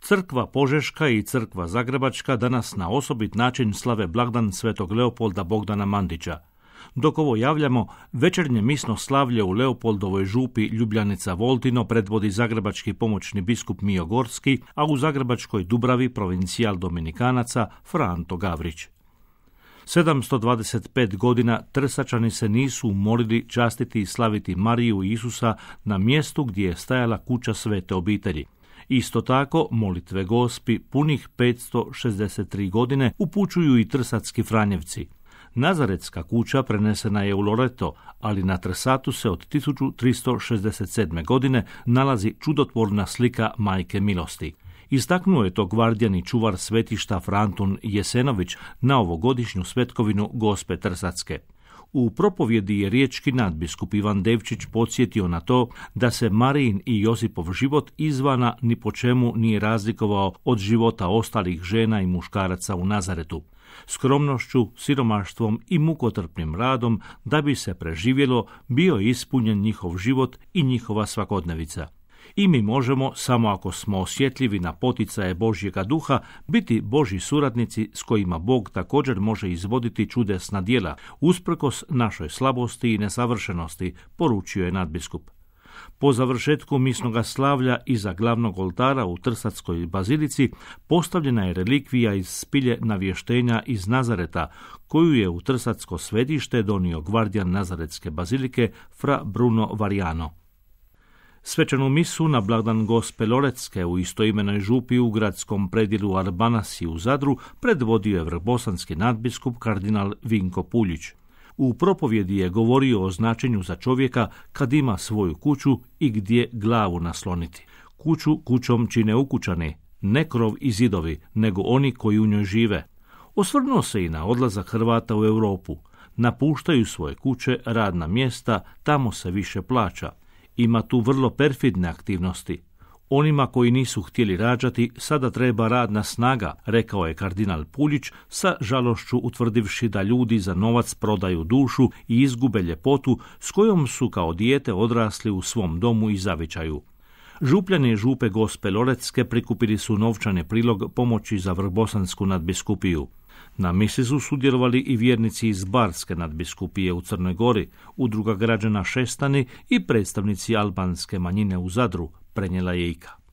Crkva Požeška i Crkva Zagrebačka danas na osobit način slave blagdan Svetog Leopolda Bogdana Mandića. Dok ovo javljamo, večernje misno slavlje u Leopoldovoj župi Ljubljanica Voltino predvodi zagrebački pomoćni biskup Mijo Gorski, a u zagrebačkoj Dubravi provincijal Dominikanaca Fra Anto Gavrić. 725 godina Trsačani se nisu umorili častiti i slaviti Mariju i Isusa na mjestu gdje je stajala kuća Svete obitelji. Isto tako, molitve Gospi punih 563 godine upućuju i trsatski Franjevci. Nazaretska kuća prenesena je u Loreto, ali na Trsatu se od 1367. godine nalazi čudotvorna slika Majke milosti. Istaknuo je to gvardijani čuvar svetišta Frantun Jesenović na ovogodišnju svetkovinu Gospe Trsatske. U propovjedi je riječki nadbiskup Ivan Devčić podsjetio na to da se Marijin i Josipov život izvana ni po čemu nije razlikovao od života ostalih žena i muškaraca u Nazaretu. Skromnošću, siromaštvom i mukotrpnim radom da bi se preživjelo bio ispunjen njihov život i njihova svakodnevica. I mi možemo, samo ako smo osjetljivi na poticaje Božjega duha, biti Božji suradnici s kojima Bog također može izvoditi čudesna djela, usprkos našoj slabosti i nesavršenosti, poručio je nadbiskup. Po završetku misnoga slavlja iza glavnog oltara u Trsatskoj bazilici postavljena je relikvija iz spilje navještenja iz Nazareta, koju je u Trsatsko svetište donio gvardijan Nazaretske bazilike Fra Bruno Variano. Svečanu misu na blagdan Gospe Loretske u istoimenoj župi u gradskom predjelu Arbanasi u Zadru predvodio je vrbosanski nadbiskup kardinal Vinko Puljić. U propovjedi je govorio o značenju za čovjeka kad ima svoju kuću i gdje glavu nasloniti. Kuću kućom čine ukućani, ne krov i zidovi, nego oni koji u njoj žive. Osvrnuo se i na odlazak Hrvata u Europu. Napuštaju svoje kuće, radna mjesta, tamo se više plaća. Ima tu vrlo perfidne aktivnosti. Onima koji nisu htjeli rađati sada treba radna snaga, rekao je kardinal Puljić sa žalošću utvrdivši da ljudi za novac prodaju dušu i izgube ljepotu s kojom su kao dijete odrasli u svom domu i zavičaju. Župljani župe Gospe Loretske prikupili su novčani prilog pomoći za vrbosansku nadbiskupiju. Na misi su sudjelovali i vjernici iz Barske nadbiskupije u Crnoj Gori, udruga građana Šestani i predstavnici albanske manjine u Zadru, prenijela je IKA.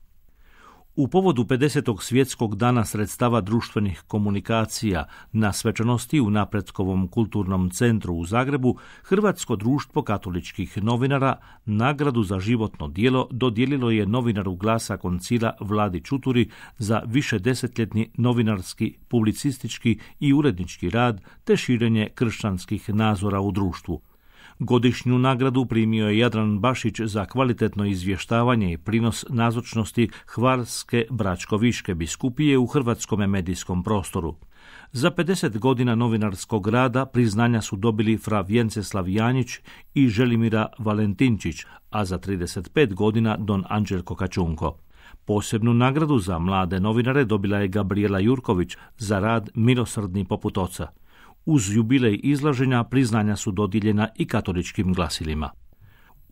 U povodu 50. svjetskog dana sredstava društvenih komunikacija na svečanosti u Napretkovom kulturnom centru u Zagrebu, Hrvatsko društvo katoličkih novinara nagradu za životno djelo dodijelilo je novinaru Glasa Koncila Vladi Čuturi za višedesetljetni novinarski, publicistički i urednički rad te širenje kršćanskih nazora u društvu. Godišnju nagradu primio je Jadran Bašić za kvalitetno izvještavanje i prinos nazočnosti Hvarske Bračkoviške biskupije u hrvatskom medijskom prostoru. Za 50 godina novinarskog rada priznanja su dobili Fra Vjenceslav Janjić i Želimira Valentinčić, a za 35 godina Don Anđelko Kačunko. Posebnu nagradu za mlade novinare dobila je Gabriela Jurković za rad Milosrdni poput oca. Uz jubilej izlaženja priznanja su dodijeljena i katoličkim glasilima.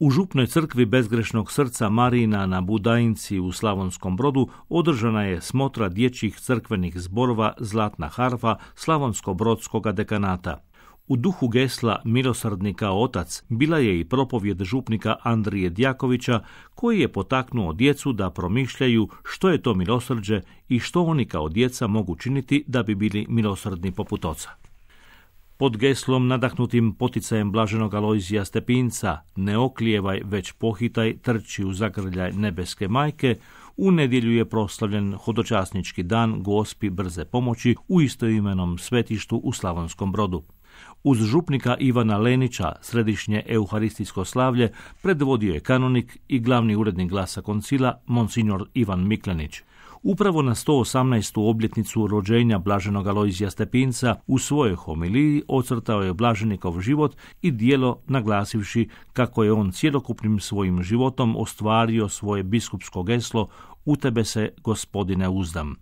U župnoj crkvi Bezgrešnog srca Marijina na Budajinci u Slavonskom Brodu održana je smotra dječjih crkvenih zborova Zlatna harfa Slavonsko-brodskoga dekanata. U duhu gesla Milosrdni kao otac bila je i propovjed župnika Andrije Djakovića, koji je potaknuo djecu da promišljaju što je to milosrđe i što oni kao djeca mogu činiti da bi bili milosrdni poput oca. Pod geslom nadahnutim poticajem blaženog Alojzija Stepinca, ne oklijevaj već pohitaj, trči u zagrljaj nebeske majke, u nedjelju je proslavljen hodočasnički dan Gospi brze pomoći u istoimenom svetištu u Slavonskom Brodu. Uz župnika Ivana Lenića središnje euharistijsko slavlje predvodio je kanonik i glavni urednik Glasa Koncila monsignor Ivan Miklenić. Upravo na 118. obljetnicu rođenja blaženog Alojzija Stepinca u svojoj homiliji ocrtao je blaženikov život i djelo naglasivši kako je on cjelokupnim svojim životom ostvario svoje biskupsko geslo U tebe se, Gospodine, uzdam.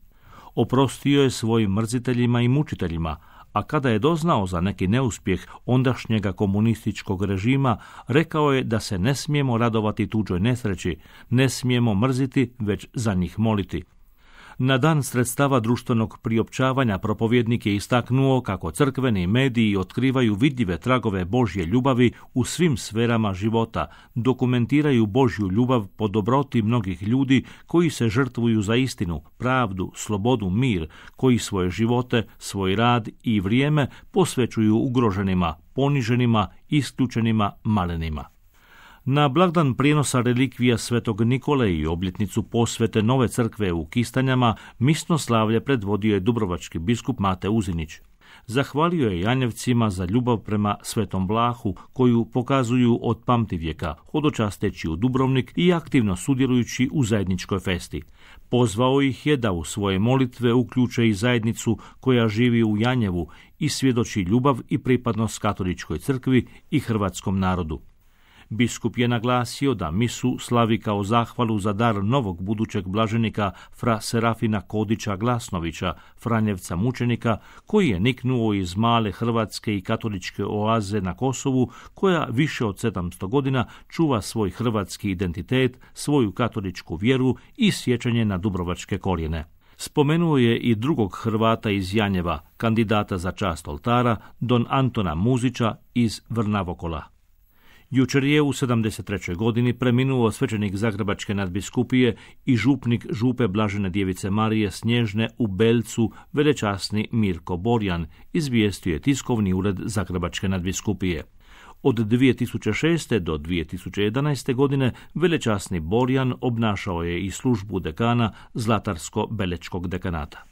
Oprostio je svojim mrziteljima i mučiteljima, a kada je doznao za neki neuspjeh ondašnjega komunističkog režima, rekao je da se ne smijemo radovati tuđoj nesreći, ne smijemo mrziti, već za njih moliti. Na dan sredstava društvenog priopćavanja propovjednik je istaknuo kako crkveni mediji otkrivaju vidljive tragove Božje ljubavi u svim sferama života, dokumentiraju Božju ljubav po dobroti mnogih ljudi koji se žrtvuju za istinu, pravdu, slobodu, mir, koji svoje živote, svoj rad i vrijeme posvećuju ugroženima, poniženima, isključenima, malenima. Na blagdan prijenosa relikvija Svetog Nikole i obljetnicu posvete nove crkve u Kistanjama, misno slavlje predvodio je dubrovački biskup Mate Uzinić. Zahvalio je Janjevcima za ljubav prema Svetom Vlahu koju pokazuju od pamtivijeka, hodočasteći u Dubrovnik i aktivno sudjelujući u zajedničkoj festi. Pozvao ih je da u svoje molitve uključe i zajednicu koja živi u Janjevu i svjedoči ljubav i pripadnost katoličkoj crkvi i hrvatskom narodu. Biskup je naglasio da misu slavi kao zahvalu za dar novog budućeg blaženika fra Serafina Kodića Glasnovića, Franjevca mučenika, koji je niknuo iz male hrvatske i katoličke oaze na Kosovu, koja više od 700 godina čuva svoj hrvatski identitet, svoju katoličku vjeru i sjećanje na dubrovačke korijene. Spomenuo je i drugog Hrvata iz Janjeva, kandidata za čast oltara, don Antona Muzića iz Vrnavokola. Jučer je u 73. godini preminuo svećenik Zagrebačke nadbiskupije i župnik župe Blažene djevice Marije Snježne u Belcu, velečasni Mirko Borjan, izvijestio je tiskovni ured Zagrebačke nadbiskupije. Od 2006. do 2011. godine velečasni Borjan obnašao je i službu dekana Zlatarsko-Belečkog dekanata.